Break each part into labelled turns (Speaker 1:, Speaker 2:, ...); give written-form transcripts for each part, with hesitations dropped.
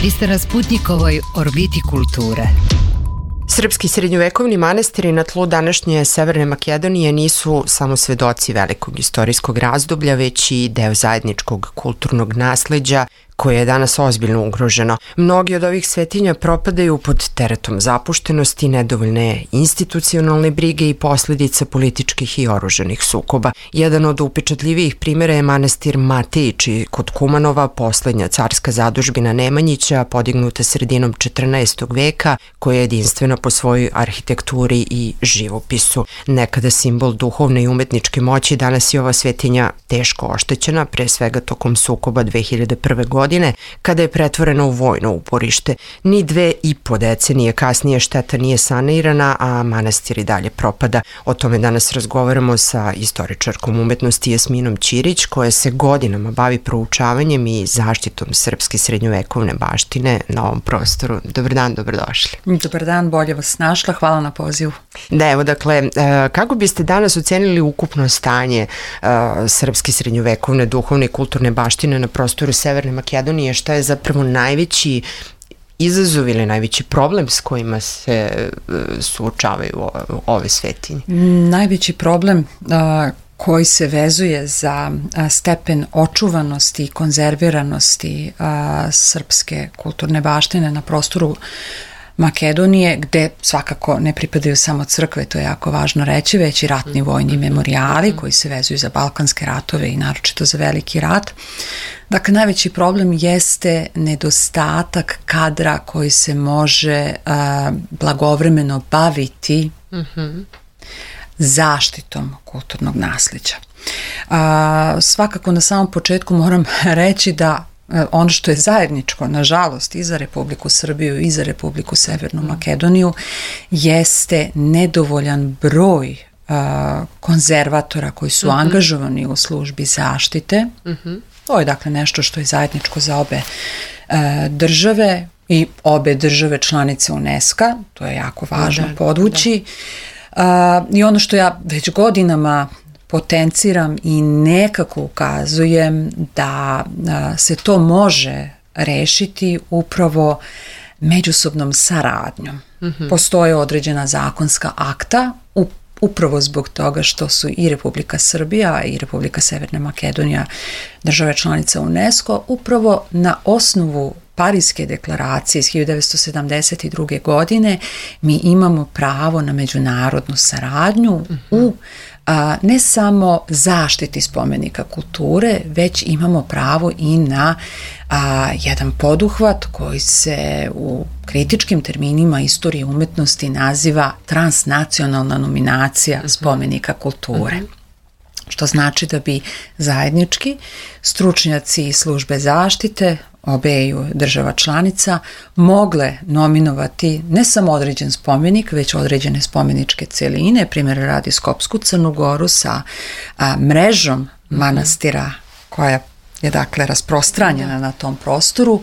Speaker 1: Vi ste na Sputnjikovoj orbiti kulture.
Speaker 2: Srpski srednjovekovni manastiri na tlu današnje Severne Makedonije nisu samo svedoci velikog istorijskog razdoblja, već i deo zajedničkog kulturnog nasleđa koje je danas ozbiljno ugroženo. Mnogi od ovih svetinja propadaju pod teretom zapuštenosti, nedovoljne institucionalne brige i posljedica političkih i oružanih sukoba. Jedan od upečatljivijih primjera je manastir Matejići kod Kumanova, poslednja carska zadužbina Nemanjića, podignuta sredinom 14. veka, koja je jedinstvena po svojoj arhitekturi i živopisu. Nekada simbol duhovne i umetničke moći, danas je ova svetinja teško oštećena, pre svega tokom sukoba 2001. godine, kada je pretvorena u vojno uporište. Ni 2,5 decenije kasnije šteta nije sanirana, a manastir i dalje propada. O tome danas razgovaramo sa istoričarkom umetnosti Jasminom Ćirić, koja se godinama bavi proučavanjem i zaštitom srpske srednjovekovne baštine na ovom prostoru. Dobar dan, dobrodošli.
Speaker 3: Dobar dan, bolje vas našla, hvala na pozivu.
Speaker 2: Da, evo, dakle, kako biste danas ocenili ukupno stanje srpske srednjovekovne duhovne i kulturne baštine na prostoru Severne Makedonije? Šta je zapravo najveći izazov ili najveći problem s kojima se suočavaju ove svetinje?
Speaker 3: Najveći problem koji se vezuje za stepen očuvanosti i konzerviranosti srpske kulturne baštine na prostoru Makedonije, gde svakako ne pripadaju samo crkve, to je jako važno reći, već i ratni vojni memorijali koji se vezuju za Balkanske ratove i naročito za Veliki rat. Dakle, najveći problem jeste nedostatak kadra koji se može blagovremeno baviti zaštitom kulturnog nasleđa. Svakako na samom početku moram reći da ono što je zajedničko, nažalost, i za Republiku Srbiju i za Republiku Severnu Makedoniju jeste nedovoljan broj konzervatora koji su angažovani u službi zaštite. To je dakle nešto što je zajedničko za obe države i obe države članice UNESCO-a, to je jako važno podvući. I ono što ja već godinama potenciram i nekako ukazujem da se to može rešiti upravo međusobnom saradnjom. Postoje određena zakonska akta upravo zbog toga što su i Republika Srbija i Republika Severna Makedonija države članice UNESCO, upravo na osnovu Pariske deklaracije iz 1972. godine mi imamo pravo na međunarodnu saradnju u ne samo zaštiti spomenika kulture, već imamo pravo i na jedan poduhvat koji se u kritičkim terminima istorije umetnosti naziva transnacionalna nominacija spomenika kulture. Što znači da bi zajednički stručnjaci i službe zaštite obeju država članica mogle nominovati ne samo određen spomenik, već određene spomeničke celine, primjer radi Skopsku Crnu Goru sa mrežom manastira koja je dakle rasprostranjena na tom prostoru,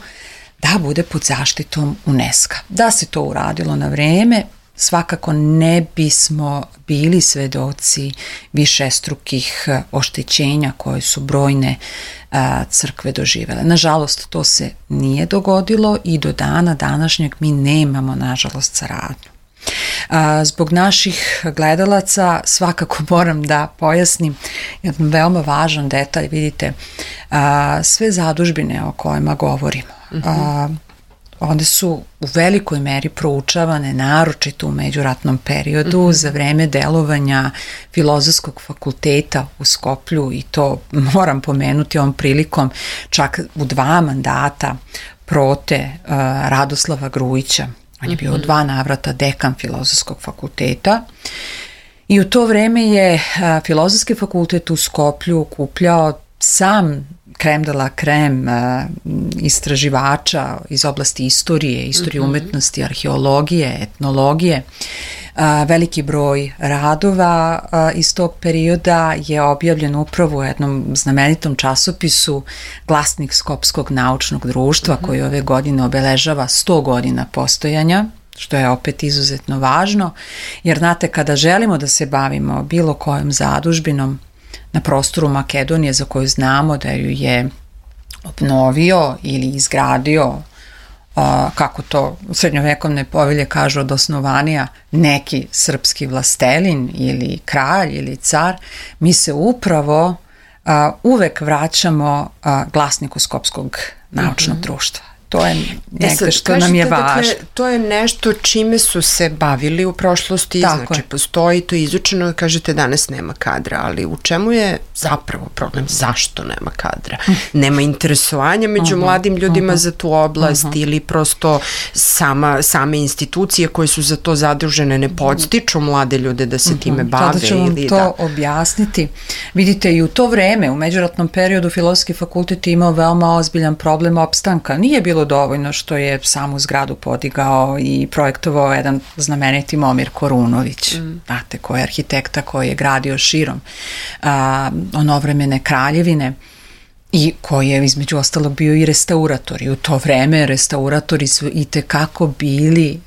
Speaker 3: da bude pod zaštitom UNESCO-a. Da se to uradilo na vreme, svakako ne bismo bili svedoci višestrukih oštećenja koje su brojne crkve doživele. Nažalost, to se nije dogodilo i do dana današnjeg mi nemamo, nažalost, saradnju. Zbog naših gledalaca svakako moram da pojasnim jedan veoma važan detalj. Vidite, sve zadužbine o kojima govorimo, one su u velikoj meri proučavane, naročito u međuratnom periodu, za vreme delovanja Filozofskog fakulteta u Skoplju, i to moram pomenuti ovom prilikom čak u 2 mandata prote Radoslava Grujića. On je bio u 2 navrata dekan Filozofskog fakulteta i u to vreme je Filozofski fakultet u Skoplju okupljao sam krem de la krem istraživača iz oblasti istorije umetnosti, arheologije, etnologije. Veliki broj radova iz tog perioda je objavljen upravo u jednom znamenitom časopisu Glasnik Skopskog naučnog društva, koji ove godine obeležava 100 godina postojanja, što je opet izuzetno važno, jer znate, kada želimo da se bavimo bilo kojom zadužbinom na prostoru Makedonije za koju znamo da ju je obnovio ili izgradio kako to srednjovekovne povelje kažu, od osnovanja neki srpski vlastelin ili kralj ili car, mi se upravo uvek vraćamo glasniku Skopskog naučnog društva. To je negde što nam je važno. Dakle,
Speaker 2: to je nešto čime su se bavili u prošlosti, znači postoji, to je izučeno, kažete danas nema kadra, ali u čemu je zapravo problem? Zašto nema kadra? Nema interesovanja među mladim ljudima za tu oblast ili prosto same institucije koje su za to zadužene ne podstiču mlade ljude da se time bave?
Speaker 3: Tada ću vam to objasniti. Vidite, i u to vreme, u međuratnom periodu, Filozofski fakultet je imao veoma ozbiljan problem opstanka. Nije bilo dovoljno što je samu zgradu podigao i projektovao jedan znameniti Momir Korunović, znate, koji je arhitekta koji je gradio širom onovremene kraljevine i koji je između ostalog bio i restaurator. I u to vreme restauratori su i tekako bili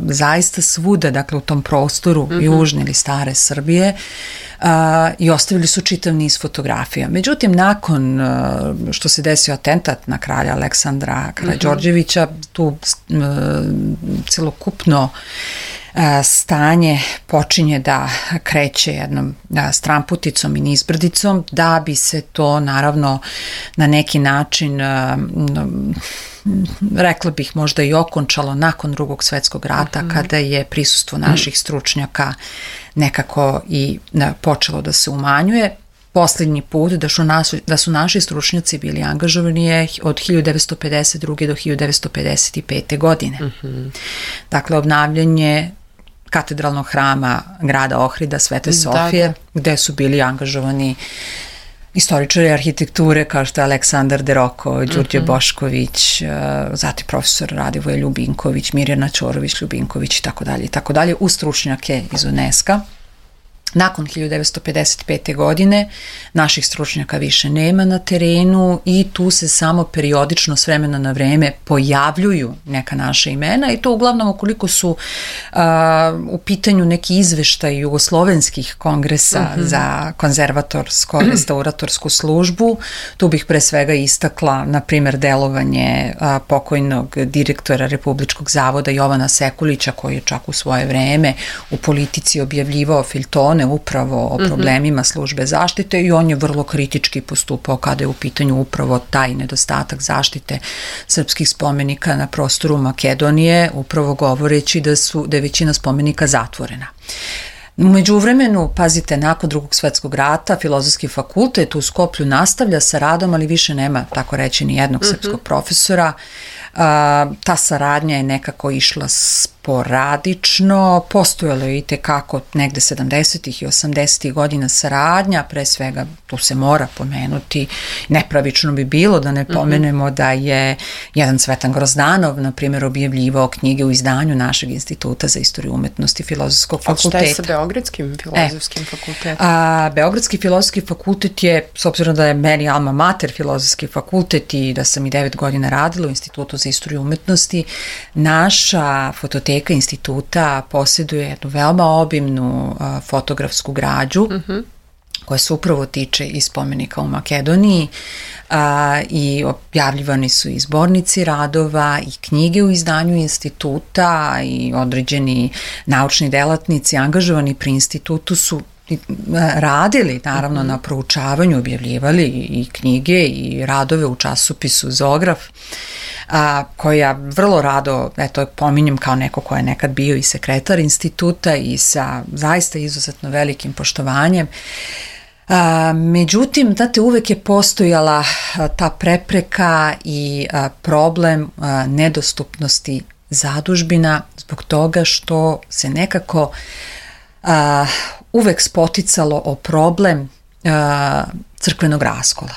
Speaker 3: zaista svuda, dakle u tom prostoru južne ili stare Srbije, i ostavili su čitav niz fotografija. Međutim, nakon što se desio atentat na kralja Aleksandra Karađorđevića, tu celokupno stanje počinje da kreće jednom stramputicom i nizbrdicom, da bi se to naravno na neki način rekla bih možda i okončalo nakon Drugog svetskog rata, kada je prisustvo naših stručnjaka nekako i počelo da se umanjuje. Posljednji put da su naši stručnjaci bili angažovani je od 1952. do 1955. godine. Dakle, obnavljanje katedralnog hrama grada Ohrida, Svete Sofije, gde su bili angažovani istoričari arhitekture kao što je Aleksandar Deroko, Đurđe Bošković, zatim profesor Radivoje Ljubinković, Mirjana Ćorović-Ljubinković i tako dalje, uz stručnjake iz UNESCO-a. Nakon 1955. godine naših stručnjaka više nema na terenu i tu se samo periodično s vremena na vreme pojavljuju neka naša imena i to uglavnom ukoliko su u pitanju neki izveštaj jugoslovenskih kongresa za konzervatorsko-restauratorsku službu. Tu bih pre svega istakla, na primjer, delovanje pokojnog direktora Republičkog zavoda Jovana Sekulića, koji je čak u svoje vreme u Politici objavljivao feljtone upravo o problemima službe zaštite i on je vrlo kritički postupao kada je u pitanju upravo taj nedostatak zaštite srpskih spomenika na prostoru Makedonije, upravo govoreći da je većina spomenika zatvorena. U međuvremenu, pazite, nakon Drugog svetskog rata, Filozofski fakultet u Skoplju nastavlja sa radom, ali više nema, tako reći, ni jednog srpskog profesora. Ta saradnja je nekako išla sporadično, postojalo je i tekako negde 70. i 80. godina saradnja, pre svega tu se mora pomenuti, nepravično bi bilo da ne pomenemo da je jedan Cvetan Grozdanov, na primjer, objavljivao knjige u izdanju našeg Instituta za istoriju umetnosti Filozofskog fakulteta.
Speaker 2: A šta je sa Beogradskim filozofskim fakultetom?
Speaker 3: Beogradski filozofski fakultet je, s obzirom da je meni alma mater Filozofski fakultet i da sam i 9 godina radila u Institutu za istoriju umetnosti, naša fototeka instituta posjeduje jednu veoma obimnu fotografsku građu koja se upravo tiče i spomenika u Makedoniji i objavljivani su i zbornici radova i knjige u izdanju instituta i određeni naučni delatnici angažovani pri institutu su radili naravno na proučavanju, objavljivali i knjige i radove u časopisu Zograf, koja vrlo rado, eto, pominjem kao neko ko je nekad bio i sekretar instituta i sa zaista izuzetno velikim poštovanjem. Međutim, znate, uvek je postojala ta prepreka i problem nedostupnosti zadužbina zbog toga što se nekako uvek spoticalo o problem crkvenog raskola,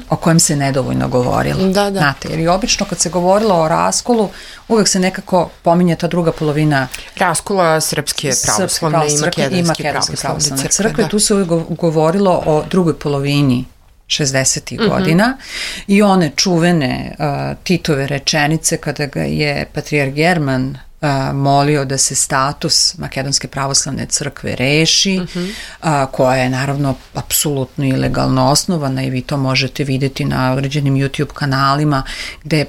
Speaker 3: o kojem se nedovoljno govorilo. Znate, jer i obično kad se govorilo o raskolu, uvek se nekako pominje ta druga polovina
Speaker 2: raskola Srpske pravoslavne i Makedonske pravoslavne crkve.
Speaker 3: Tu se uvek govorilo o drugoj polovini 60. godina i one čuvene Titove rečenice kada ga je patrijarh German molio da se status Makedonske pravoslavne crkve reši, koja je naravno apsolutno ilegalno osnovana i vi to možete vidjeti na određenim YouTube kanalima gde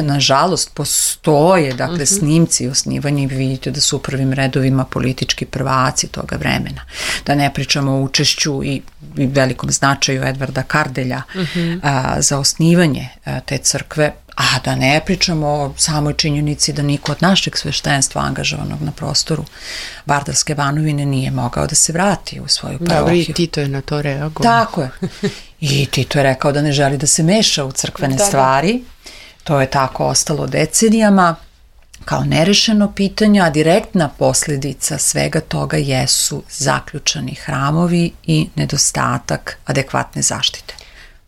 Speaker 3: nažalost postoje dakle snimci osnivanja i vi vidite da su u prvim redovima politički prvaci toga vremena. Da ne pričamo o učešću i velikom značaju Edvarda Kardelja za osnivanje te crkve, a da ne pričamo o samoj činjenici da niko od našeg sveštenstva angažovanog na prostoru Vardarske banovine nije mogao da se vrati u svoju parohiju.
Speaker 2: Dobro, i Tito je na to reagovao.
Speaker 3: Tako je. I Tito je rekao da ne želi da se meša u crkvene stvari. To je tako ostalo decenijama kao nerešeno pitanje, a direktna posljedica svega toga jesu zaključani hramovi i nedostatak adekvatne zaštite.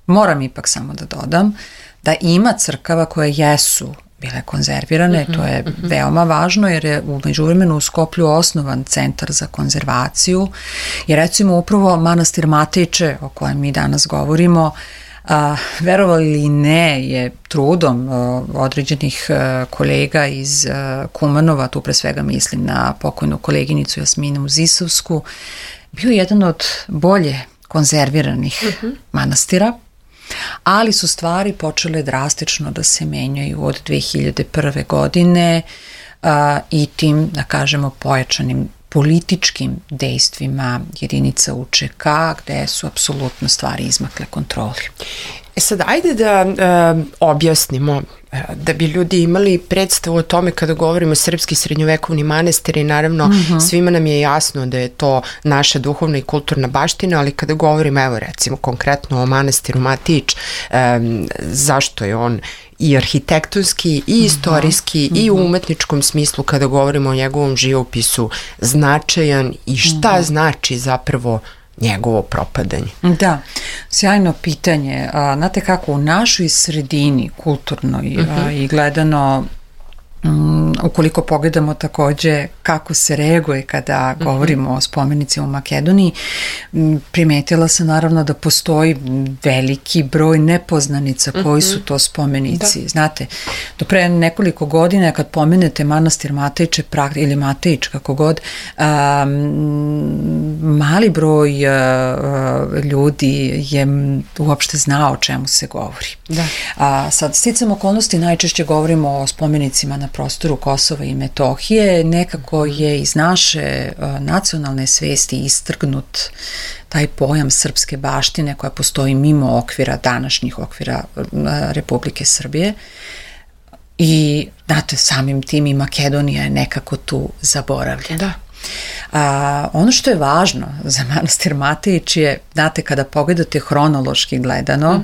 Speaker 3: Moram ipak samo da dodam da ima crkava koje jesu bile konzervirane, to je veoma važno jer je u međuvremenu u Skoplju osnovan centar za konzervaciju i recimo upravo manastir Matejiče o kojem mi danas govorimo, verovali ili ne, je trudom određenih kolega iz Kumanova, tu pre svega mislim na pokojnu koleginicu Jasminu Zisovsku, bio jedan od bolje konzerviranih manastira, ali su stvari počele drastično da se menjaju od 2001. godine i tim, da kažemo, pojačanim političkim dejstvima jedinica UČK, gde su apsolutno stvari izmakle kontroli.
Speaker 2: Sad, ajde da objasnimo, da bi ljudi imali predstavu o tome kada govorimo srpski srednjovekovni manastiri, naravno svima nam je jasno da je to naša duhovna i kulturna baština, ali kada govorimo, evo recimo konkretno o manastiru Matić, zašto je on i arhitektonski i istorijski i u umetničkom smislu kada govorimo o njegovom živopisu značajan i šta znači zapravo njegovo propadanje?
Speaker 3: Da, sjajno pitanje. Znate kako, u našoj sredini kulturnoj i gledano, ukoliko pogledamo takođe kako se reaguje kada govorimo o spomenicima u Makedoniji, primetila sam naravno da postoji veliki broj nepoznanica koji su to spomenici. Znate, do pre nekoliko godina kad pomenete manastir Matejiče ili Matejić, kako god, mali broj ljudi je uopšte znao o čemu se govori. Sad, sticam okolnosti, najčešće govorimo o spomenicima na prostoru Kosova i Metohije, nekako je iz naše nacionalne svesti istrgnut taj pojam srpske baštine koja postoji mimo okvira, današnjih okvira Republike Srbije i, znate, samim tim i Makedonija je nekako tu zaboravljena. Ono što je važno za manastir Matejić je, znate, kada pogledate hronološki gledano,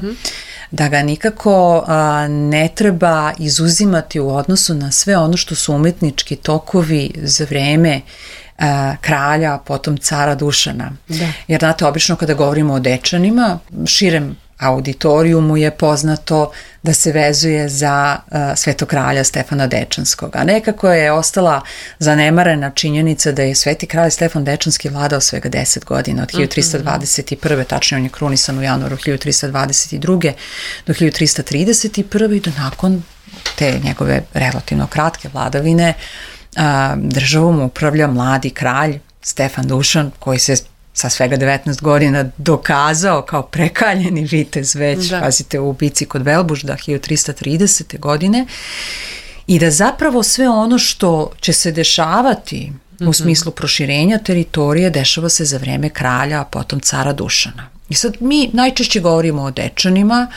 Speaker 3: da ga nikako ne treba izuzimati u odnosu na sve ono što su umetnički tokovi za vreme kralja, potom cara Dušana. Jer, znate, obično kada govorimo o Dečanima, širem auditorijumu je poznato da se vezuje za svetog kralja Stefana Dečanskog, a nekako je ostala zanemarena činjenica da je sveti kralj Stefan Dečanski vladao svega 10 godina, od 1321. tačnije on je krunisan u januaru 1322. do 1331. i do nakon te njegove relativno kratke vladavine državom upravlja mladi kralj Stefan Dušan, koji se sa svega 19 godina dokazao kao prekaljeni vitez već, pazite, u bici kod Velbužda 1330. godine i da zapravo sve ono što će se dešavati u smislu proširenja teritorije dešava se za vreme kralja, a potom cara Dušana. I sad mi najčešće govorimo o Dečanima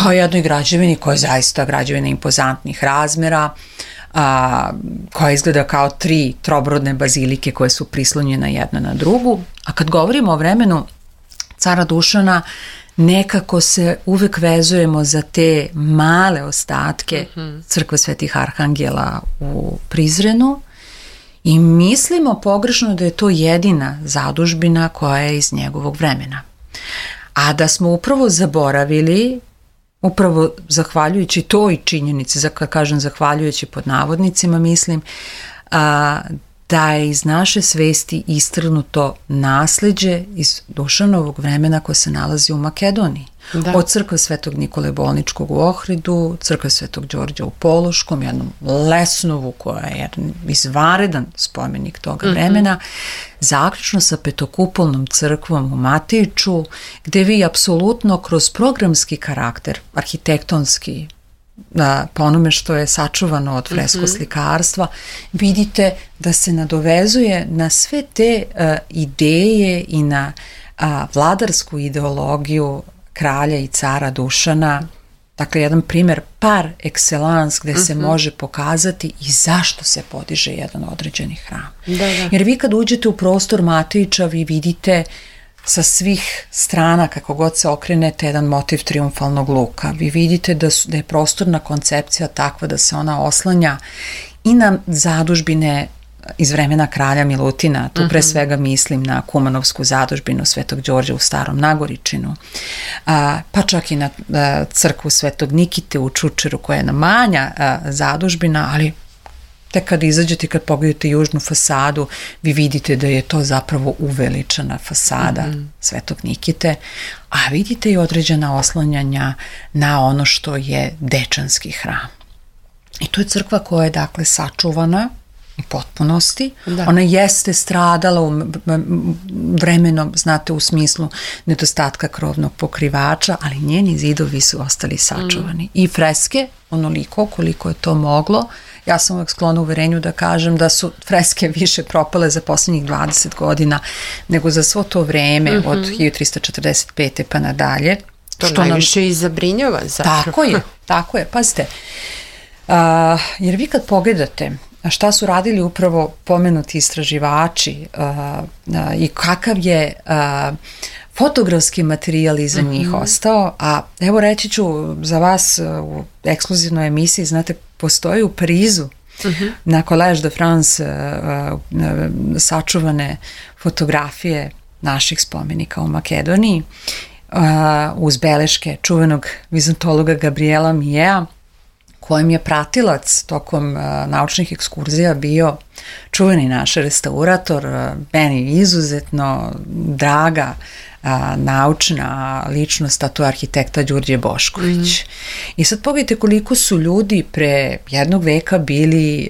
Speaker 3: kao jednoj građevini koja je zaista građevina impozantnih razmera, koja izgleda kao 3 trobrodne bazilike koje su prislonjene jedna na drugu, a kad govorimo o vremenu cara Dušana nekako se uvek vezujemo za te male ostatke crkve Svetih Arhangela u Prizrenu i mislimo pogrešno da je to jedina zadužbina koja je iz njegovog vremena. A da smo upravo zaboravili, upravo zahvaljujući toj činjenici, kad kažem zahvaljujući pod navodnicima, mislim da je iz naše svesti istrgnuto nasleđe iz Dušanovog vremena koje se nalazi u Makedoniji. Da. Od crkve Svetog Nikole Bolničkog u Ohridu, crkve Svetog Đorđa u Pološkom, jednom Lesnovu koja je jedan izvanredan spomenik toga vremena, zaključno sa Petokupolnom crkvom u Matiču, gde vi apsolutno kroz programski karakter, arhitektonski, po onome što je sačuvano od freskoslikarstva, vidite da se nadovezuje na sve te ideje i na vladarsku ideologiju kralja i cara Dušana. Dakle, jedan primjer par excellence gde se može pokazati i zašto se podiže jedan određeni hram. Da. Jer vi kad uđete u prostor Matiča, vi vidite sa svih strana, kako god se okrenete, jedan motiv triumfalnog luka. Vi vidite da je prostorna koncepcija takva da se ona oslanja i na zadužbine iz vremena kralja Milutina, tu pre svega mislim na Kumanovsku zadužbinu Svetog Đorđa u Starom Nagoričinu, pa čak i na crkvu Svetog Nikite u Čučeru koja je na manja zadužbina, ali tek kad izađete, kad pogledate južnu fasadu, vi vidite da je to zapravo uveličana fasada Svetog Nikite, a vidite i određena oslanjanja na ono što je Dečanski hram. I to je crkva koja je dakle sačuvana u potpunosti. Da. Ona jeste stradala vremenom, znate, u smislu nedostatka krovnog pokrivača, ali njeni zidovi su ostali sačuvani. I freske, onoliko koliko je to moglo. Ja sam uvek sklona uverenju da kažem da su freske više propale za posljednjih 20 godina nego za svo to vreme od 1345. pa nadalje.
Speaker 2: To što najviše i zabrinjava zapravo.
Speaker 3: Tako je, pazite. Jer vi kad pogledate šta su radili upravo pomenuti istraživači i kakav je fotografski materijal iza njih ostao, a evo reći ću za vas u ekskluzivnoj emisiji, znate, postoji u Parizu na Collège de France sačuvane fotografije naših spomenika u Makedoniji uz beleške čuvenog vizantologa Gabriela Mijea, kojem je pratilac tokom naučnih ekskurzija bio čuveni naš restaurator, meni izuzetno draga naučna ličnost, a to je arhitekta Đurđe Bošković. I sad pogledajte koliko su ljudi pre jednog veka bili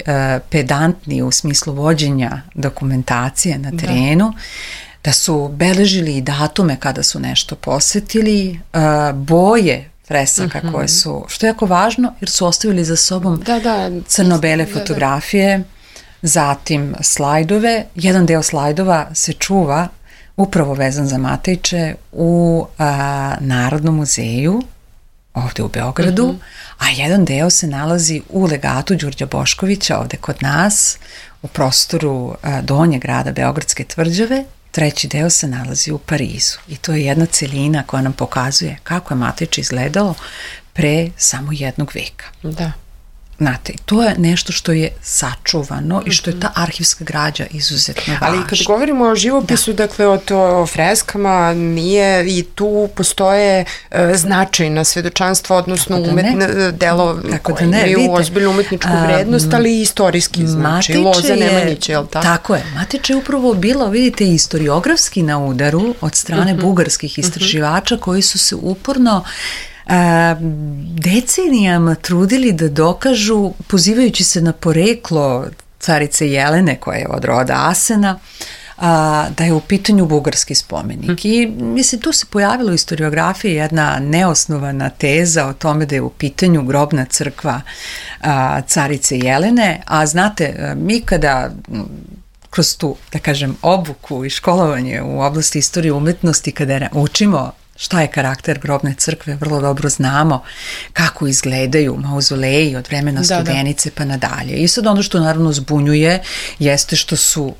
Speaker 3: pedantni u smislu vođenja dokumentacije na terenu, da su beležili i datume kada su nešto posetili, boje fresaka koje su, što je jako važno, jer su ostavili za sobom crno-bele fotografije, zatim slajdove. Jedan deo slajdova se čuva upravo vezan za Matejče u Narodnom muzeju ovde u Beogradu, a jedan deo se nalazi u legatu Đurđa Boškovića ovde kod nas u prostoru donjeg grada Beogradske tvrđave. Treći deo se nalazi u Parizu i to je jedna celina koja nam pokazuje kako je Matejče izgledalo pre samo jednog veka. Da. Znate, to je nešto što je sačuvano i što je ta arhivska građa izuzetno važna.
Speaker 2: Ali kad govorimo o živopisu, dakle o freskama, nije i tu postoje značajna svedočanstva, odnosno delo koje imaju ozbiljnu umetničku vrednost, ali i istorijski značaj. Loza Nemanjića, je li tako?
Speaker 3: Tako je. Matejče je upravo bilo, vidite, historiografski na udaru od strane bugarskih istraživača koji su se uporno decenijama trudili da dokažu, pozivajući se na poreklo carice Jelene koja je od roda Asena, da je u pitanju bugarski spomenik. I mislim, tu se pojavila u historiografiji jedna neosnovana teza o tome da je u pitanju grobna crkva carice Jelene, a znate, mi kada kroz tu, da kažem, obuku i školovanje u oblasti istorije umetnosti, kada učimo šta je karakter grobne crkve, vrlo dobro znamo kako izgledaju mauzoleji od vremena Studenice pa nadalje. I sad ono što naravno zbunjuje jeste što su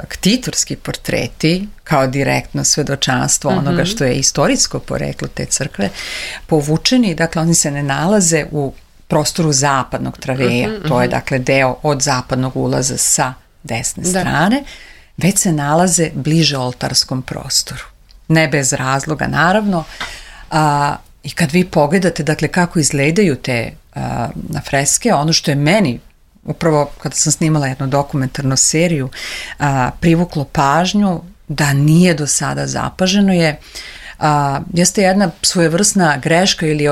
Speaker 3: ktitorski portreti kao direktno svedočanstvo onoga što je istorijsko poreklo te crkve povučeni, dakle oni se ne nalaze u prostoru zapadnog traveja, to je dakle deo od zapadnog ulaza sa desne strane, već se nalaze bliže oltarskom prostoru. Ne bez razloga, naravno. I kad vi pogledate, dakle, kako izgledaju te freske, ono što je meni upravo kada sam snimala jednu dokumentarnu seriju, privuklo pažnju da nije do sada zapaženo jeste jedna svojevrsna greška ili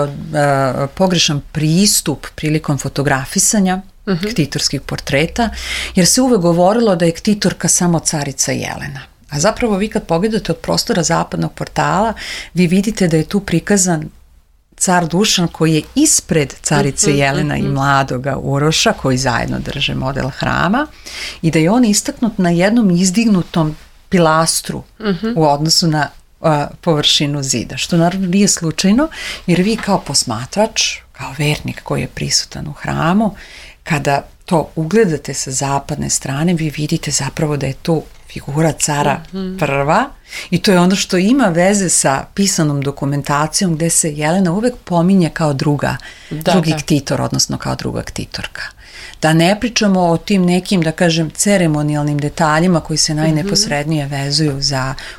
Speaker 3: pogrešan pristup prilikom fotografisanja ktitorskih portreta, jer se uvek govorilo da je ktitorka samo carica Jelena. A zapravo vi kad pogledate od prostora zapadnog portala, vi vidite da je tu prikazan car Dušan koji je ispred carice Jelena i mladoga Uroša koji zajedno drže model hrama i da je on istaknut na jednom izdignutom pilastru u odnosu na površinu zida, što naravno nije slučajno, jer vi kao posmatrač, kao vernik koji je prisutan u hramu, kada to ugledate sa zapadne strane, vi vidite zapravo da je tu figura cara prva i to je ono što ima veze sa pisanom dokumentacijom gde se Jelena uvek pominje kao drugi ktitor, odnosno kao druga ktitorka. Da ne pričamo o tim nekim, da kažem, ceremonijalnim detaljima koji se najneposrednije vezuju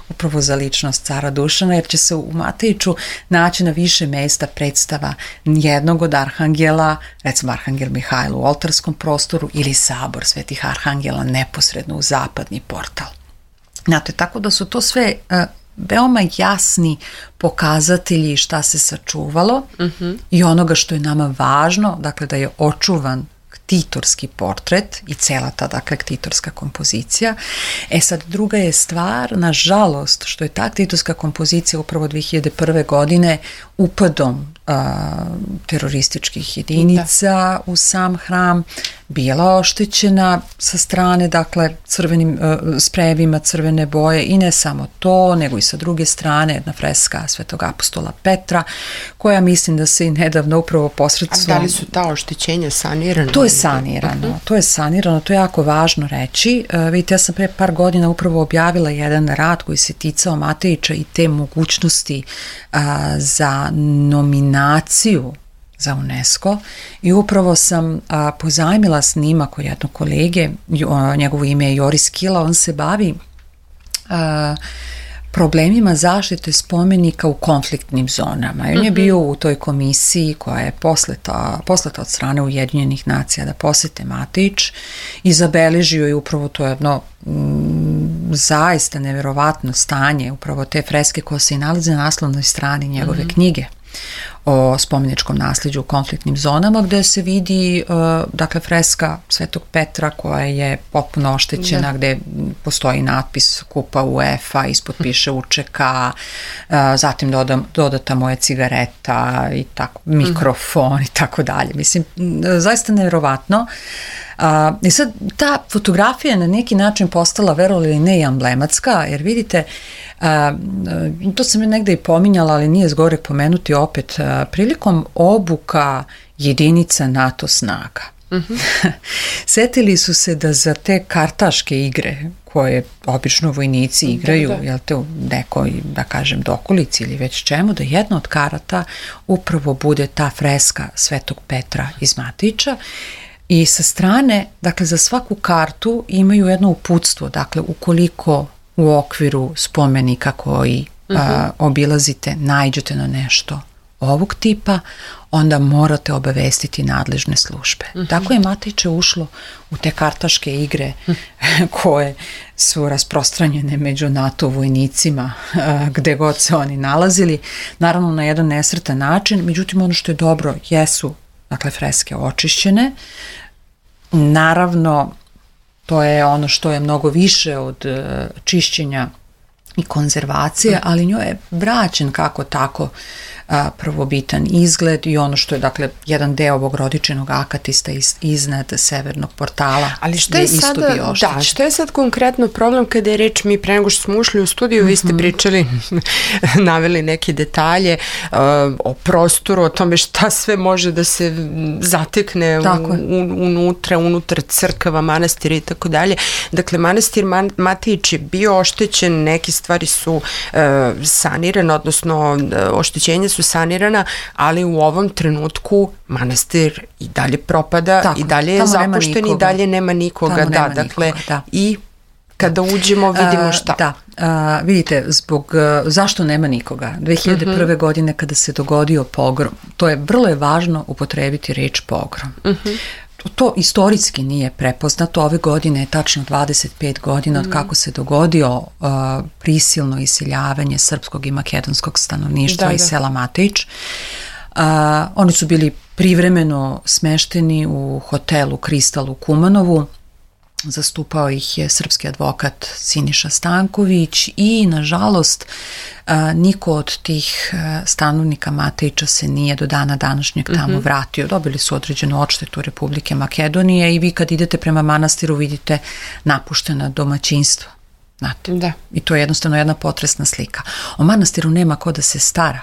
Speaker 3: upravo za ličnost cara Dušana, jer će se u Matejiću naći na više mesta predstava jednog od arhangela, recimo arhangel Mihajlo u oltarskom prostoru ili sabor svetih arhangela neposredno u zapadni portal. Znate, tako da su to sve veoma jasni pokazatelji šta se sačuvalo i onoga što je nama važno, dakle da je očuvan ktitorski portret i cela ta, dakle, ktitorska kompozicija. Sad, druga je stvar, nažalost, što je ta ktitorska kompozicija upravo 2001. godine upadom terorističkih jedinica u sam hram bila oštećena sa strane, dakle, crvenim sprejevima crvene boje i ne samo to, nego i sa druge strane jedna freska Svetog apostola Petra, koja mislim da se i nedavno upravo posredstvom...
Speaker 2: A da li su ta oštećenja sanirana?
Speaker 3: To je sanirano, to je jako važno reći. Vidite, ja sam pre par godina upravo objavila jedan rad koji se ticao Matejića i te mogućnosti za nominaciju za UNESCO i upravo sam pozajmila snimak od jednog kolege, njegovo ime je Joris Kila, on se bavi problemima zaštite spomenika u konfliktnim zonama. I on je bio u toj komisiji koja je poslata od strane Ujedinjenih nacija da posete Matejić i zabeležio je upravo to jedno zaista neverovatno stanje, upravo te freske koje se i nalaze na naslovnoj strani njegove knjige o spomeničkom nasljeđu u konfliktnim zonama, gde se vidi, dakle, freska Svetog Petra koja je potpuno oštećena, gde postoji natpis Kupa UEFA, ispod piše UČK, zatim dodata mu je cigareta i tako, mikrofon i tako dalje. Mislim, zaista nevjerovatno. I sad, ta fotografija je na neki način postala, verovali ili ne, i emblematska, jer vidite, to sam je negde i pominjala, ali nije zgore pomenuti opet, prilikom obuka jedinica NATO snaga. Setili su se da za te kartaške igre koje obično vojnici igraju, jel te, u nekoj, da kažem, dokolici ili već čemu, da jedna od karata upravo bude ta freska Svetog Petra iz Matejića. I sa strane, dakle, za svaku kartu imaju jedno uputstvo, dakle, ukoliko u okviru spomenika koji obilazite, naiđete na nešto ovog tipa, onda morate obavestiti nadležne službe. Tako je Matejiće ušlo u te kartaške igre koje su rasprostranjene među NATO vojnicima gde god se oni nalazili, naravno na jedan nesretan način, međutim ono što je dobro jesu, dakle, freske očišćene. Naravno, to je ono što je mnogo više od čišćenja i konzervacije, ali njoj je vraćen kako tako prvobitan izgled i ono što je, dakle, jedan deo ovog rodičenog akatista iznad severnog portala.
Speaker 2: Ali što je sada, što je sad konkretno problem kada je reč, mi pre nego što smo ušli u studiju, vi ste pričali, naveli neke detalje o prostoru, o tome šta sve može da se zatekne unutar crkava, manastira i tako dalje. Dakle, manastir Matejić je bio oštećen, neke stvari su sanirane, odnosno oštećenja su sanirana, ali u ovom trenutku manastir i dalje propada, i dalje je zapušten i dalje nema nikoga. I kada uđemo vidimo šta.
Speaker 3: Vidite, zašto nema nikoga? 2001. godine kada se dogodio pogrom, vrlo je važno upotrebiti reč pogrom. to istorijski nije prepoznato. Ove godine je tačno 25 godina od kako se dogodio prisilno iseljavanje srpskog i makedonskog stanovništva iz sela Matejić. Oni su bili privremeno smešteni u hotelu Kristal u Kumanovu. Zastupao ih je srpski advokat Siniša Stanković i nažalost niko od tih stanovnika Matejića se nije do dana današnjeg tamo vratio. Dobili su određenu odštetu Republike Makedonije i vi kad idete prema manastiru vidite napuštena domaćinstva. Znate? Da. I to je jednostavno jedna potresna slika. O manastiru nema ko da se stara.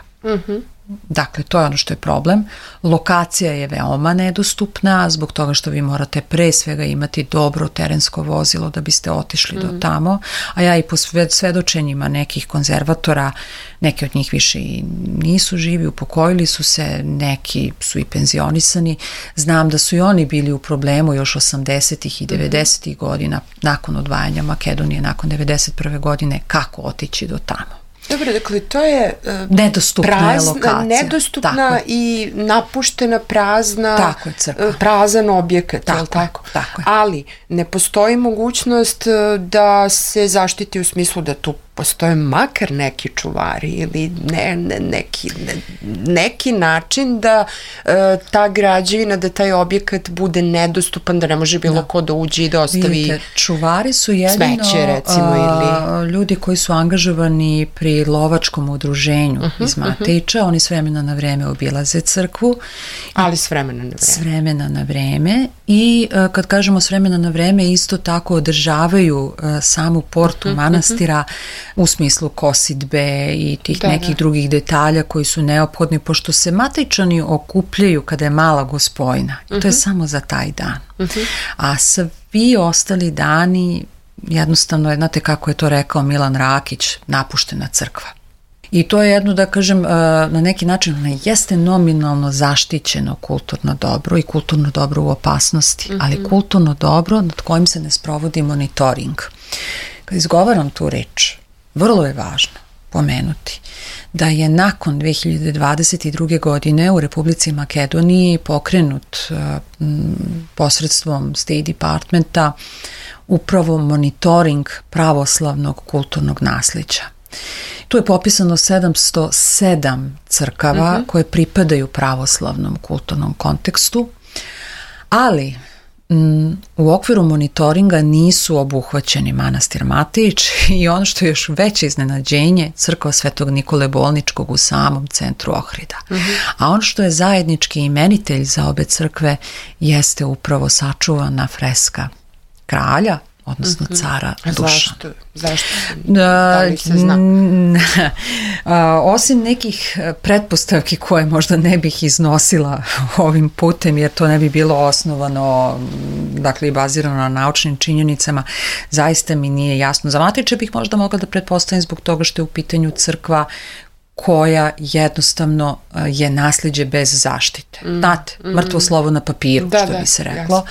Speaker 3: Dakle, to je ono što je problem. Lokacija je veoma nedostupna zbog toga što vi morate pre svega imati dobro terensko vozilo da biste otišli do tamo, a ja i po svedočenjima nekih konzervatora, neki od njih više i nisu živi, upokojili su se, neki su i penzionisani. Znam da su i oni bili u problemu još 80. i 90. godina nakon odvajanja Makedonije, nakon 91. godine, kako otići do tamo.
Speaker 2: Dobro, dakle, to je
Speaker 3: nedostupna lokacija.
Speaker 2: Nedostupna i napuštena, prazna, prazan objekat, je li tako?
Speaker 3: Tako je.
Speaker 2: Ali ne postoji mogućnost da se zaštiti u smislu da tu postoje makar neki čuvari ili neki način da ta građevina, da taj objekat bude nedostupan, da ne može bilo ko da uđe i da ostavi
Speaker 3: vidite, čuvari su jedino
Speaker 2: smeće, recimo, ili
Speaker 3: ljudi koji su angažovani pri lovačkom udruženju iz Matejića. Oni s vremena na vreme obilaze crkvu.
Speaker 2: Ali s vremena na vreme.
Speaker 3: S vremena na vreme i kad kažemo s vremena na vreme isto tako održavaju samu portu manastira u smislu kosidbe i tih nekih drugih detalja koji su neophodni, pošto se Matejičani okupljaju kada je mala Gospojna. I to je samo za taj dan. A svi ostali dani, jednostavno, znate kako je to rekao Milan Rakić, napuštena crkva. I to je jedno, da kažem, na neki način ne jeste nominalno zaštićeno kulturno dobro i kulturno dobro u opasnosti, ali kulturno dobro nad kojim se ne sprovodi monitoring. Kad izgovaram tu reč, vrlo je važno pomenuti da je nakon 2022. godine u Republici Makedoniji pokrenut posredstvom State Departmenta upravo monitoring pravoslavnog kulturnog naslijeđa. Tu je popisano 707 crkava koje pripadaju pravoslavnom kulturnom kontekstu, ali u okviru monitoringa nisu obuhvaćeni manastir Matejić i ono što je još veće iznenađenje, crkva Svetog Nikole Bolničkog u samom centru Ohrida. A ono što je zajednički imenitelj za obe crkve jeste upravo sačuvana freska kralja, odnosno cara Dušana.
Speaker 2: Zašto? Da li se zna?
Speaker 3: Osim nekih pretpostavki koje možda ne bih iznosila ovim putem, jer to ne bi bilo osnovano, dakle i bazirano na naučnim činjenicama, zaista mi nije jasno. Za Matejića bih možda mogla da pretpostavim zbog toga što je u pitanju crkva koja jednostavno je nasljeđe bez zaštite. Znate, mrtvo slovo na papiru, što bi se reklo.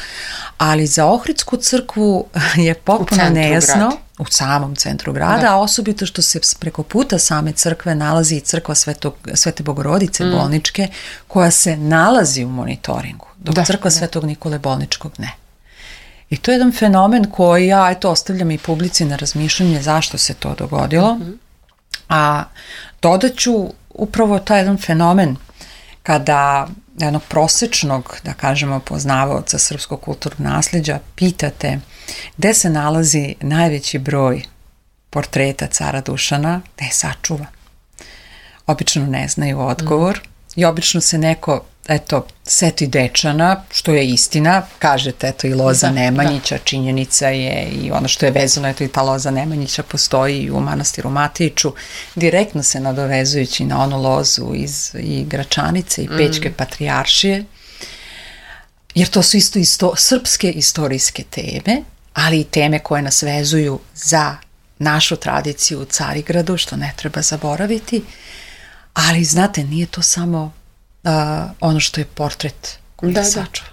Speaker 3: Ali za Ohridsku crkvu je potpuno nejasno, u samom centru grada, a osobito što se preko puta same crkve nalazi i crkva Svete Bogorodice Bolničke, koja se nalazi u monitoringu, dok crkva Svetog Nikole Bolničkog ne. I to je jedan fenomen koji ja ostavljam i publici na razmišljanje zašto se to dogodilo. A dodat ću upravo taj jedan fenomen kada jednog prosečnog, da kažemo, poznavaoca srpskog kulturnog nasljeđa pitate gde se nalazi najveći broj portreta cara Dušana, gde je sačuvan. Obično ne znaju odgovor i obično se neko seti Dečana, što je istina, kažete, i Loza Nemanjića, činjenica je i ono što je vezano, i ta Loza Nemanjića postoji i u manastiru Matejiću, direktno se nadovezujući na onu lozu i Gračanice i Pećke patrijaršije, jer to su isto srpske istorijske teme, ali i teme koje nas vezuju za našu tradiciju u Carigradu, što ne treba zaboraviti, ali znate, nije to samo ono što je portret koji je sačuvan.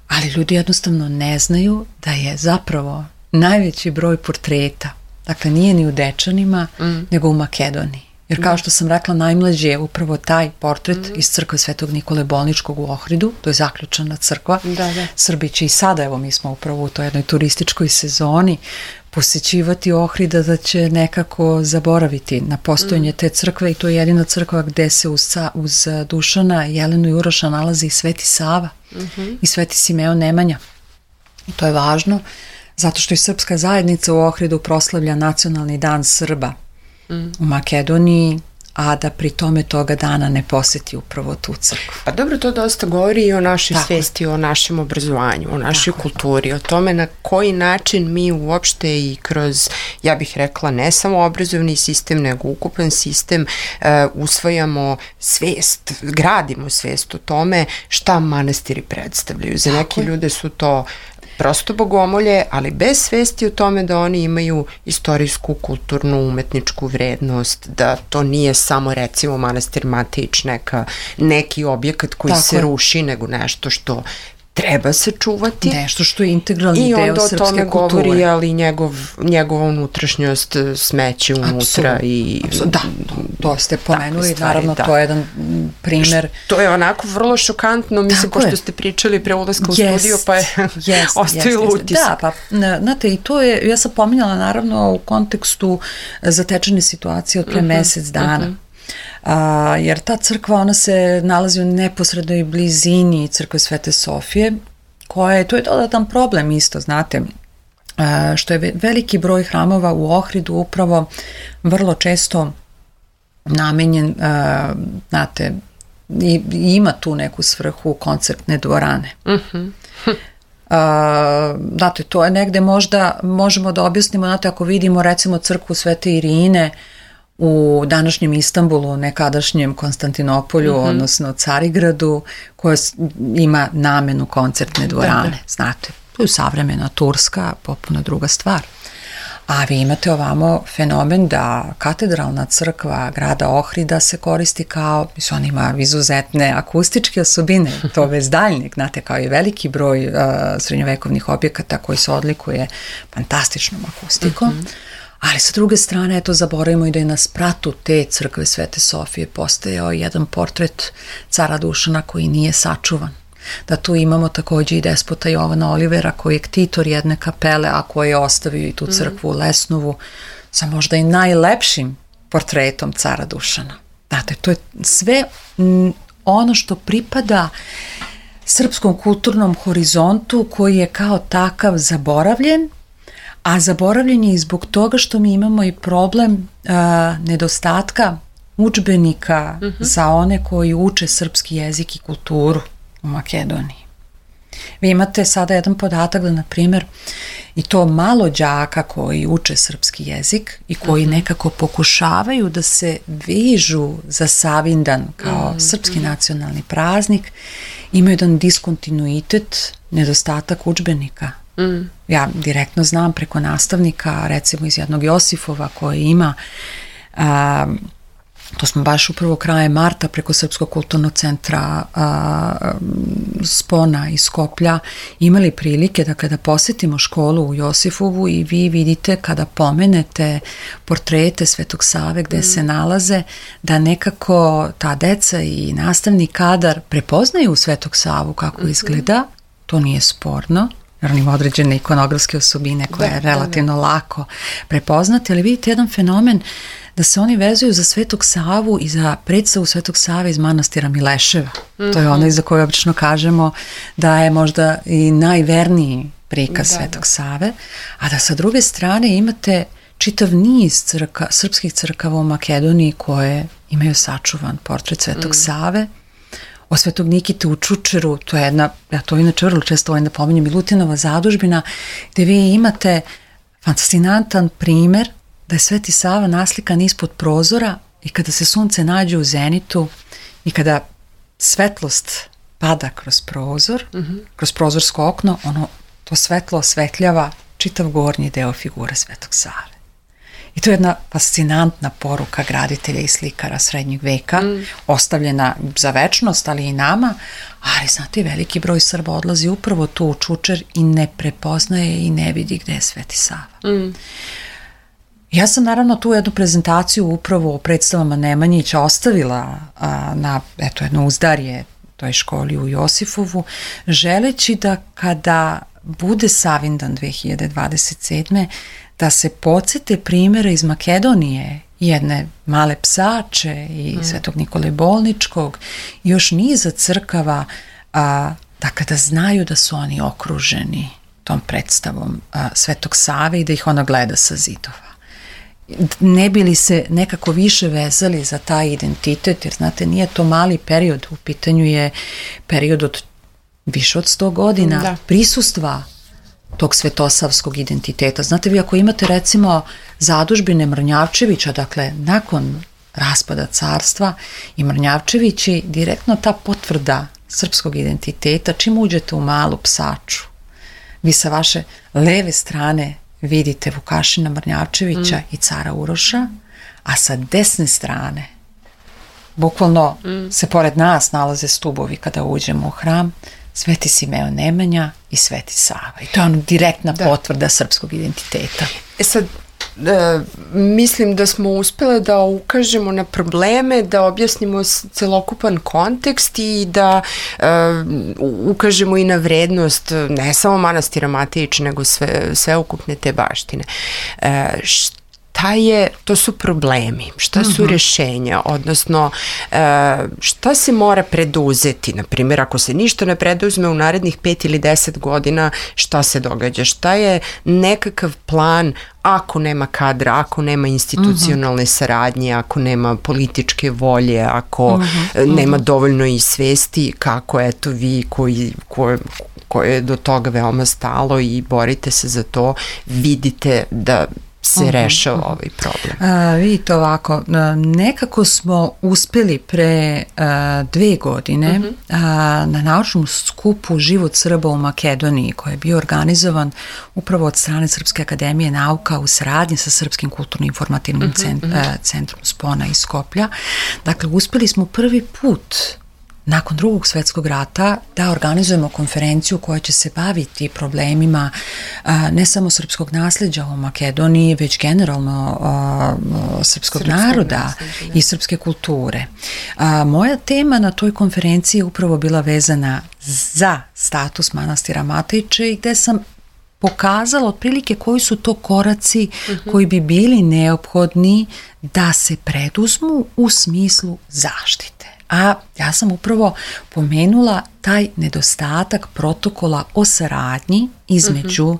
Speaker 3: Ali ljudi jednostavno ne znaju da je zapravo najveći broj portreta, dakle nije ni u Dečanima, nego u Makedoniji. Jer kao što sam rekla, najmlađi je upravo taj portret iz crkve Svetog Nikole Bolničkog u Ohridu, to je zaključana crkva. Srbi će i sada, evo mi smo upravo u toj jednoj turističkoj sezoni, posećivati Ohrida, da će nekako zaboraviti na postojanje te crkve, i to je jedina crkva gde se uz Dušana, Jelenu i Uroša nalazi i Sveti Sava i Sveti Simeon Nemanja. I to je važno zato što i srpska zajednica u Ohridu proslavlja Nacionalni dan Srba u Makedoniji, a da pri tome toga dana ne poseti upravo tu crkvu.
Speaker 2: Pa dobro, to dosta govori i o našoj svesti, o našem obrazovanju, o našoj kulturi, o tome na koji način mi uopšte i kroz, ja bih rekla, ne samo obrazovni sistem, nego ukupan sistem, usvajamo svest, gradimo svest o tome šta manastiri predstavljaju. Za neke ljude su to prosto bogomolje, ali bez svesti o tome da oni imaju istorijsku, kulturnu, umetničku vrednost, da to nije samo recimo manastir Matejić neki objekat koji se ruši, nego nešto što treba se čuvati.
Speaker 3: Nešto što je integralni deo srpske kulture. I onda o tome govori, ali njegova unutrašnjost, smeće unutra. Da, to ste pomenuli, naravno to je jedan primer.
Speaker 2: To je onako vrlo šokantno, mislim, pošto ste pričali pre ulaska u studio, pa je ostavilo utisak.
Speaker 3: Da, pa, znate, i to je, ja sam pominjala naravno u kontekstu zatečene situacije od pre mesec dana. Jer ta crkva, ona se nalazi u neposrednoj blizini crkve Svete Sofije, to je dodatan problem isto, znate, što je veliki broj hramova u Ohridu upravo vrlo često namenjen, znate, i ima tu neku svrhu koncertne dvorane. Znate, to je negde možda možemo da objasnimo, znate, ako vidimo recimo crkvu Svete Irine u današnjem Istanbulu, nekadašnjem Konstantinopolju, odnosno Carigradu, koja ima namenu koncertne dvorane. Znate, to je savremena Turska, potpuno druga stvar. A vi imate ovamo fenomen da katedralna crkva grada Ohrida se koristi kao, on ima izuzetne akustičke osobine, to bez daljnjeg, znate, kao i veliki broj srednjovekovnih objekata koji se odlikuje fantastičnom akustikom. Ali sa druge strane, eto, zaboravimo i da je na spratu te crkve Svete Sofije postojao jedan portret cara Dušana koji nije sačuvan. Da tu imamo takođe i despota Jovana Olivera koji je ktitor jedne kapele, a koji je ostavio i tu crkvu u Lesnovu sa možda i najlepšim portretom cara Dušana. Znate, to je sve ono što pripada srpskom kulturnom horizontu koji je kao takav zaboravljen, a zaboravljen je i zbog toga što mi imamo i problem nedostatka udžbenika za one koji uče srpski jezik i kulturu u Makedoniji. Vi imate sada jedan podatak da, na primjer, i to malo đaka koji uče srpski jezik i koji nekako pokušavaju da se vežu za Savindan kao srpski nacionalni praznik, imaju jedan diskontinuitet, nedostatak udžbenika. Ja direktno znam preko nastavnika, recimo iz jednog Josifova koji ima, to smo baš upravo krajem marta preko Srpskog kulturnog centra Spona iz Skoplja imali prilike, dakle, da posetimo školu u Josifovu i vi vidite kada pomenete portrete Svetog Save gde se nalaze, da nekako ta deca i nastavni kadar prepoznaju Svetog Savu kako izgleda, to nije sporno, jer on ima određene ikonografske osobine koje je relativno lako prepoznati, ali vidite jedan fenomen da se oni vezuju za Svetog Savu i za predstavu Svetog Save iz manastira Mileševa. To je ono iza koje obično kažemo da je možda i najverniji prikaz Svetog Save, a da sa druge strane imate čitav niz srpskih crkava u Makedoniji koje imaju sačuvan portret Svetog Save. O Svetog Nikite u Čučeru, to je jedna, ja to inače vrlo često volim da pominjem, Milutinova zadužbina, gde vi imate fascinantan primer da je Sveti Sava naslikan ispod prozora i kada se sunce nađe u zenitu i kada svetlost pada kroz prozor, kroz prozorsko okno, to svetlo osvetljava čitav gornji deo figure Svetog Save. I to je jedna fascinantna poruka graditelja i slikara srednjeg veka, ostavljena za večnost, ali i nama, ali znate, veliki broj Srba odlazi upravo tu u Čučer i ne prepoznaje i ne vidi gde je Sveti Sava. Ja sam naravno tu jednu prezentaciju upravo o predstavama Nemanjića ostavila na jedno uzdarje toj školi u Josifovu, želeći da kada bude Savindan 2027. da se podsete primjere iz Makedonije, jedne Male Psače i Svetog Nikole Bolničkog i još niza crkava, da kada znaju da su oni okruženi tom predstavom Svetog Save i da ih ona gleda sa zidova. Ne bi li se nekako više vezali za taj identitet, jer znate, nije to mali period, u pitanju je period od više od 100 godina prisustva tog svetosavskog identiteta. Znate, vi ako imate recimo zadužbine Mrnjavčevića, dakle nakon raspada carstva, i Mrnjavčevići, direktno ta potvrda srpskog identiteta, čim uđete u Malu Psaču, vi sa vaše leve strane vidite Vukašina Mrnjavčevića i cara Uroša, a sa desne strane, bukvalno se pored nas nalaze stubovi kada uđemo u hram, Sveti Simeon Nemanja i Sveti Sava. I to je direktna potvrda srpskog identiteta.
Speaker 2: Sad, mislim da smo uspjeli da ukažemo na probleme, da objasnimo celokupan kontekst i da ukažemo i na vrednost ne samo manastira Matejić, nego sveukupne te baštine. To su problemi, šta su rješenja, odnosno šta se mora preduzeti, na primjer ako se ništa ne preduzme u narednih 5 ili 10 godina, šta se događa, šta je nekakav plan ako nema kadra, ako nema institucionalne saradnje, ako nema političke volje, ako nema dovoljno i svesti, kako eto vi koje je do toga veoma stalo i borite se za to, vidite da se rešava ovaj problem.
Speaker 3: Vidite ovako, nekako smo uspjeli pre 2 godine na naučnom skupu Život Srba u Makedoniji, koji je bio organizovan upravo od strane Srpske akademije nauka u saradnji sa Srpskim kulturno-informativnim centrom Spona iz Skoplja. Dakle, uspjeli smo prvi put nakon Drugog svjetskog rata da organizujemo konferenciju koja će se baviti problemima ne samo srpskog nasljeđa u Makedoniji, već generalno srpskog naroda i srpske kulture. Moja tema na toj konferenciji je upravo bila vezana za status manastira Matejića i gde sam pokazala otprilike koji su to koraci koji bi bili neophodni da se preduzmu u smislu zaštite. A ja sam upravo pomenula taj nedostatak protokola o saradnji između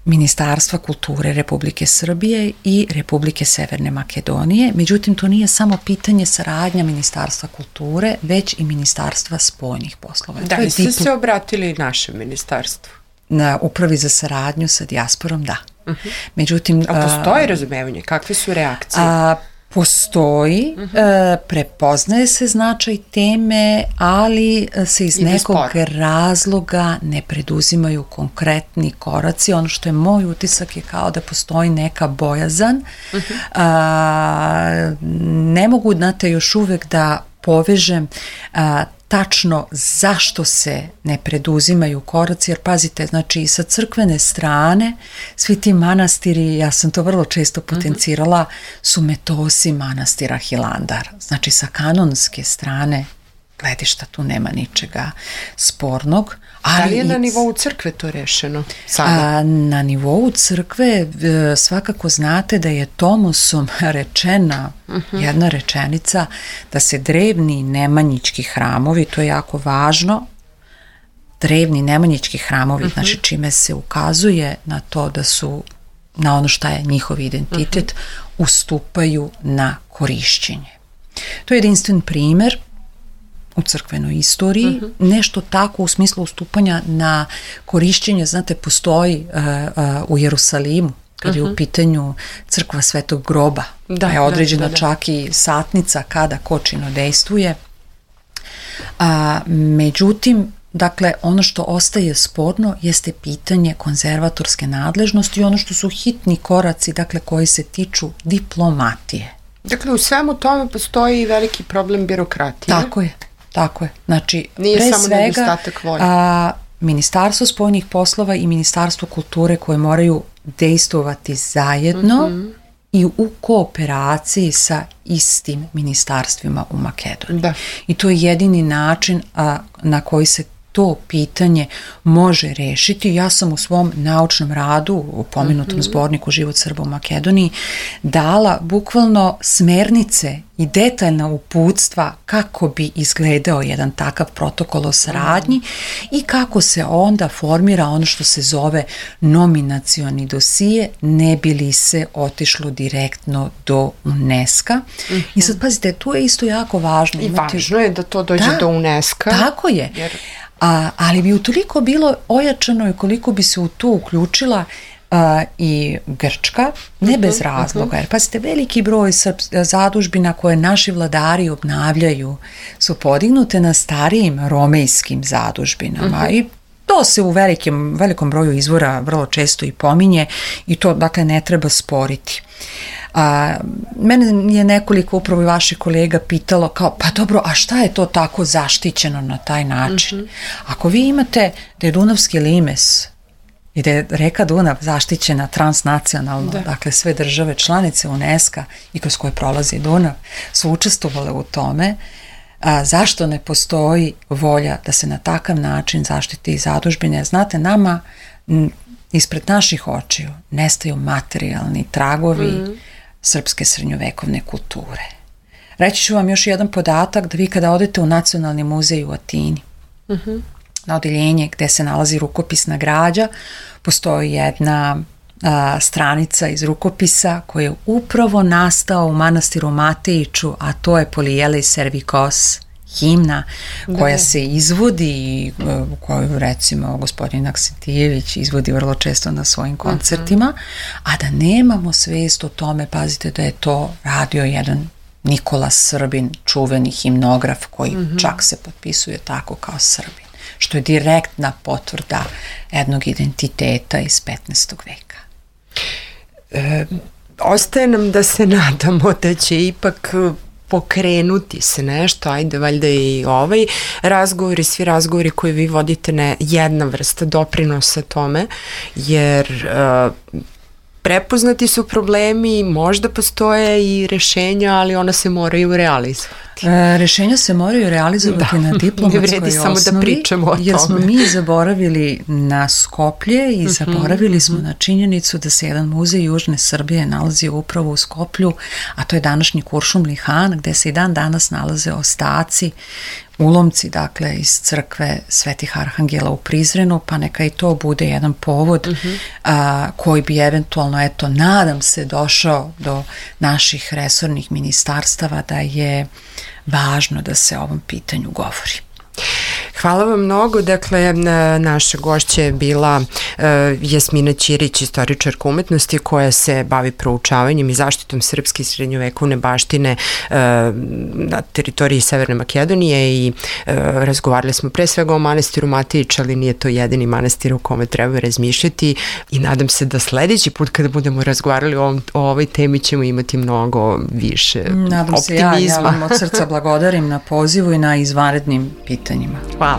Speaker 3: Ministarstva kulture Republike Srbije i Republike Severne Makedonije. Međutim, to nije samo pitanje saradnja Ministarstva kulture, već i Ministarstva spoljnih poslova.
Speaker 2: Da, i ste se obratili našem ministarstvu?
Speaker 3: Na Upravi za saradnju sa dijasporom, da. Međutim,
Speaker 2: a postoji razumevanje? Kakve su reakcije?
Speaker 3: Postoji, prepoznaje se značaj teme, ali se iz nekog razloga ne preduzimaju konkretni koraci. Ono što je moj utisak je kao da postoji neka bojazan. Ne mogu, znate, još uvek da povežem tačno zašto se ne preduzimaju koraci, jer pazite, znači i sa crkvene strane svi ti manastiri, ja sam to vrlo često potencirala, su metosi manastira Hilandar. Znači sa kanonske strane gledišta tu nema ničega spornog.
Speaker 2: Da li je na nivou crkve to rešeno sada?
Speaker 3: Na nivou crkve svakako znate da je Tomosom rečena jedna rečenica da se drevni nemanjički hramovi, to je jako važno, drevni nemanjički hramovi, znači čime se ukazuje na to da su, na ono šta je njihov identitet, ustupaju na korišćenje. To je jedinstven primer u crkvenoj istoriji, nešto tako u smislu ustupanja na korišćenje, znate, postoji u Jerusalimu, kad je u pitanju crkva Svetog groba, je određena čak i satnica kada ko činodejstvuje. Međutim, dakle, ono što ostaje sporno jeste pitanje konzervatorske nadležnosti i ono što su hitni koraci, dakle, koji se tiču diplomatije.
Speaker 2: Dakle, u svemu tome postoji i veliki problem birokratije.
Speaker 3: Tako je. Znači,
Speaker 2: nije
Speaker 3: pre
Speaker 2: samo
Speaker 3: svega,
Speaker 2: nedostatak volje.
Speaker 3: Ministarstvo spoljnih poslova i Ministarstvo kulture koje moraju dejstvovati zajedno i u kooperaciji sa istim ministarstvima u Makedoniji. Da. I to je jedini način na koji se to pitanje može rešiti. Ja sam u svom naučnom radu, u pomenutom zborniku Život Srba u Makedoniji, dala bukvalno smernice i detaljna uputstva kako bi izgledao jedan takav protokol o saradnji i kako se onda formira ono što se zove nominacioni dosije, ne bi li se otišlo direktno do UNESCO-a. I sad pazite, tu je isto jako važno.
Speaker 2: I važno je da to dođe do UNESCO-a.
Speaker 3: Tako je. Ali bi utoliko bilo ojačano i koliko bi se u to uključila i Grčka, ne bez razloga, jer pazite, veliki broj zadužbina koje naši vladari obnavljaju su podignute na starijim romejskim zadužbinama i to se u velikom broju izvora vrlo često i pominje i to dakle ne treba sporiti. Mene je nekoliko upravo i vaših kolega pitalo kao, pa dobro, a šta je to tako zaštićeno na taj način? Ako vi imate da je Dunavski limes i da je reka Dunav zaštićena transnacionalno, dakle sve države članice UNESCO i kroz koje prolazi Dunav su učestvovale u tome, zašto ne postoji volja da se na takav način zaštiti i zadužbine? Znate, nama ispred naših očiju nestaju materijalni tragovi srpske srednjovekovne kulture. Reći ću vam još jedan podatak da vi kada odete u Nacionalni muzej u Atini, na odeljenje gde se nalazi rukopisna građa, postoji jedna stranica iz rukopisa koja je upravo nastao u manastiru Matejiću, a to je Polijelis Servikos, himna koja se izvodi i koju recimo gospodin Aksentijević izvodi vrlo često na svojim koncertima, a da nemamo svest o tome, pazite da je to radio jedan Nikola Srbin, čuveni himnograf koji čak se potpisuje tako kao Srbin, što je direktna potvrda jednog identiteta iz 15. veka.
Speaker 2: Ostaje nam da se nadamo da će ipak pokrenuti se nešto, ajde valjda i ovaj razgovor i svi razgovori koje vi vodite jedna vrsta doprinosa tome, jer prepoznati su problemi, možda postoje i rešenja, ali ona se moraju realizovati.
Speaker 3: Rešenja se moraju realizovati na diplomatskoj osnovi, samo da pričamo o tome. Jer smo mi zaboravili na Skoplje i zaboravili smo na činjenicu da se jedan muzej Južne Srbije nalazi upravo u Skoplju, a to je današnji Kuršumli Han, gde se i dan danas nalaze ostaci, ulomci, dakle, iz crkve Svetih Arhangela u Prizrenu, pa neka i to bude jedan povod koji bi eventualno, eto, nadam se, došao do naših resornih ministarstava da je važno da se o ovom pitanju govori.
Speaker 2: Hvala vam mnogo. Dakle, naša gošća je bila Jasmina Ćirić, istoričarka umetnosti koja se bavi proučavanjem i zaštitom srpske srednjovekovne baštine na teritoriji Severne Makedonije i razgovarali smo pre svega o manastiru Matejić, ali nije to jedini manastir u kome treba razmišljati i nadam se da sledeći put kada budemo razgovarali o ovoj temi ćemo imati mnogo više optimizma.
Speaker 3: Nadam se, ja vam od srca blagodarim na pozivu i na izvanrednim pitanjima.
Speaker 2: Hvala.